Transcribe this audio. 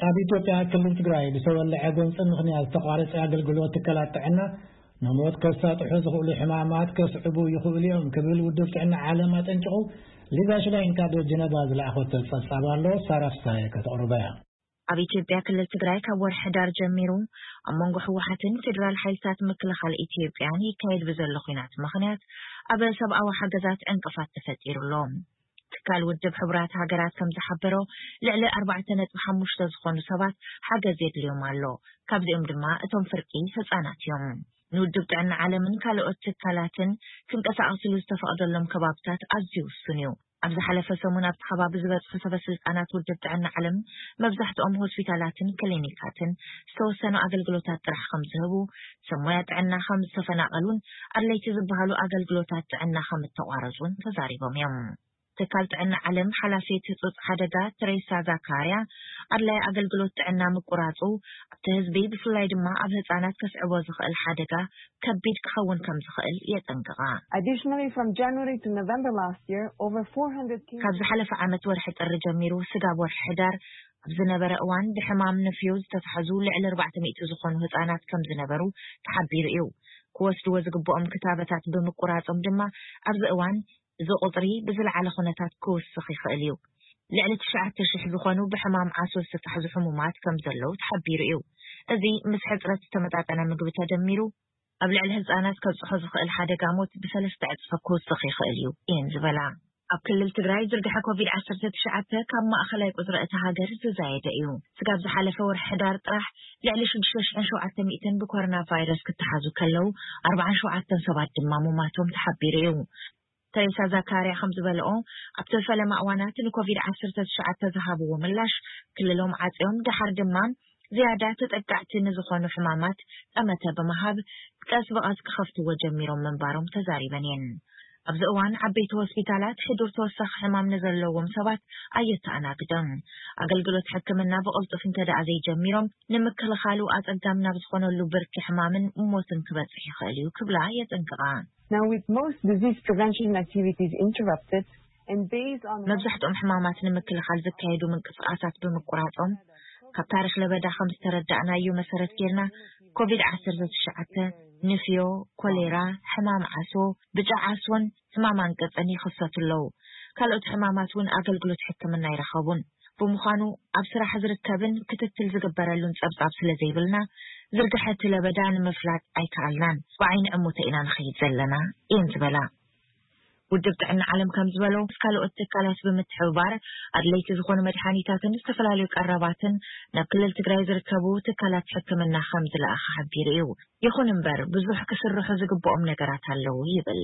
ኣብ ኢትዮጵያ ክልል ትግራይ ብዝተወለዐ ጎንፂ ምኽንያት ዝተቋረፀ ኣገልግሎት ትካላት ጥዕና ንሞት ከሳጥሑ ዝኽእሉ ሕማማት ከስዕቡ ይኽእሉ እዮም ክብል ውድብ ጥዕና ዓለም ኣጠንቂቑ። ሊዛ ሽላይን ካብ ጀነቫ ዝለኣኸቶ ጸብጻብ ኣሎ፣ ሳራ ፍሳሐ ከተቕርቦ እያ። ኣብ ኢትዮጵያ ክልል ትግራይ ካብ ወርሒ ሕዳር ጀሚሩ ኣብ መንጎ ህወሓትን ፌዴራል ሓይልታት ምክልኻል ኢትዮጵያን ይካየድ ብዘሎ ኲናት ምኽንያት ኣብ ሰብኣዊ ሓገዛት ዕንቅፋት ተፈጢሩ ኣሎ። ትካል ውድብ ሕቡራት ሃገራት ከም ዝሓበሮ፣ ልዕሊ ኣርባዕተ ነጥቢ ሓሙሽተ ዝኾኑ ሰባት ሓገዝ የድልዮም ኣሎ። ካብዚኦም ድማ እቶም ፍርቂ ህጻናት እዮም። ንውድብ ጥዕና ዓለምን ካልኦት ትካላትን ክንቀሳቐስሉ ዝተፈቕደሎም ከባብታት ኣዝዩ ውሱን እዩ። ኣብ ዝሓለፈ ሰሙን ኣብቲ ከባቢ ዝበጽሑ ሰበ ስልጣናት ውድብ ጥዕና ዓለም፣ መብዛሕትኦም ሆስፒታላትን ክሊኒካትን ዝተወሰኑ ኣገልግሎታት ጥራሕ ከም ዝህቡ፣ ሰብ ሞያ ጥዕና ከም ዝተፈናቐሉን ኣድለይቲ ዝበሃሉ ኣገልግሎታት ጥዕና ከም እተቋረጹን ተዛሪቦም እዮም። ትካል ጥዕና ዓለም ሓላፊት ህጹጽ ሓደጋ ትሬሳ ዛካርያ፣ ኣድላይ ኣገልግሎት ጥዕና ምቁራጹ ኣብቲ ህዝቢ፣ ብፍላይ ድማ ኣብ ህጻናት ከስዕቦ ዝኽእል ሓደጋ ከቢድ ክኸውን ከም ዝኽእል የጠንቅቓ። Additionally, from January to November last year, over four hundred cases ካብ ዝሓለፈ ዓመት ወርሒ ጥሪ ጀሚሩ ስጋብ ወርሒ ሕዳር ኣብ ዝነበረ እዋን፣ ብሕማም ንፍዮ ዝተታሕዙ ልዕሊ ኣርባዕተ ሚእቲ ዝኾኑ ህጻናት ከም ዝነበሩ ተሓቢሩ እዩ። ክወስድዎ ዝግብኦም ክታበታት ብምቁራጾም ድማ፣ ኣብዚ እዋን እዚ ቁጽሪ ብዝለዓለ ኩነታት ክውስኽ ይኽእል እዩ። ልዕሊ ትሽዓተ ሽሕ ዝኾኑ ብሕማም ዓሶ ዝተታሕዙ ሕሙማት ከም ዘለዉ ተሓቢሩ እዩ። እዚ ምስ ሕጽረት ዝተመጣጠነ ምግቢ ተደሚሩ፣ ኣብ ልዕሊ ህጻናት ከብጽሖ ዝኽእል ሓደጋ ሞት ብሰለስተ ዕጽፊ ክውስኽ ይኽእል እዩ እየን ዝበላ። ኣብ ክልል ትግራይ ዝርግሐ ኮቪድ ዓሰርተ ትሽዓተ ካብ ማእኸላይ ቁጽሪ እታ ሃገር ዝዛየደ እዩ። ስጋብ ዝሓለፈ ወርሒ ሕዳር ጥራሕ ልዕሊ ሽዱሽተ ሽሕን ሸውዓተ ሚእትን ብኮሮና ቫይረስ ክተሓዙ ከለዉ፣ ኣርባዓን ሸውዓተን ሰባት ድማ ሙማቶም ተሓቢሩ እዩ። ተሬሳ ዛካርያ ከም ዝበለኦ፣ ኣብቲ ፈለማ እዋናት ንኮቪድ ዓሰርተ ትሽዓተ ዝሃብዎ ምላሽ፣ ክልሎም ዓጽዮም፣ ደሓር ድማ ዝያዳ ተጠቃዕቲ ንዝኾኑ ሕማማት ጠመተ ብምሃብ፣ ቀስ ብቐስ ክኸፍትዎ ጀሚሮም ምንባሮም ተዛሪበን እየን። ኣብዚ እዋን ዓበይቲ ሆስፒታላት ሕዱር ተወሳኺ ሕማም ንዘለዎም ሰባት ኣየተኣናግደን። ኣገልግሎት ሕክምና ብቕልጡፍ እንተ ደኣ ዘይጀሚሮም፣ ንምክልኻሉ ኣጸጋሚ ናብ ዝኾነሉ ብርኪ ሕማምን ሞትን ክበጽሕ ይኽእል እዩ ክብላ የጠንቅቓ። Now, with most disease prevention activities interrupted, and based on መብዛሕትኦም ሕማማት ንምክልኻል ዝካየዱ ምንቅስቓሳት ብምቁራጾም፣ ካብ ታሪኽ ለበዳ ከም ዝተረዳእናዮ መሰረት ጌርና፣ ኮቪድ ዓሰርተ ትሽዓተ፣ ንፍዮ፣ ኮሌራ፣ ሕማም ዓሶ፣ ብጫ ዓሶን ሕማም ኣንቅጽን ይኽሰቱ ኣለዉ። ካልኦት ሕማማት እውን ኣገልግሎት ሕክምና ኣይረኸቡን። ብምዃኑ፣ ኣብ ስራሕ ዝርከብን ክትትል ዝግበረሉን ጸብጻብ ስለ ዘይብልና፣ ዝርግሐ እቲ ለበዳ ንምፍላጥ ኣይከኣልናን። ብዓይኒ ዕሙተ ኢና ንኸይድ ዘለና እየን ዝበላ። ውድብ ጥዕና ዓለም ከም ዝበሎ፣ ምስ ካልኦት ትካላት ብምትሕብባር ኣድለይቲ ዝኾኑ መድሓኒታትን ዝተፈላለዩ ቀረባትን ናብ ክልል ትግራይ ዝርከቡ ትካላት ሕክምና ከም ዝለኣኸ ሓቢሩ እዩ። ይኹን እምበር፣ ብዙሕ ክስርሑ ዝግብኦም ነገራት ኣለዉ ይብል።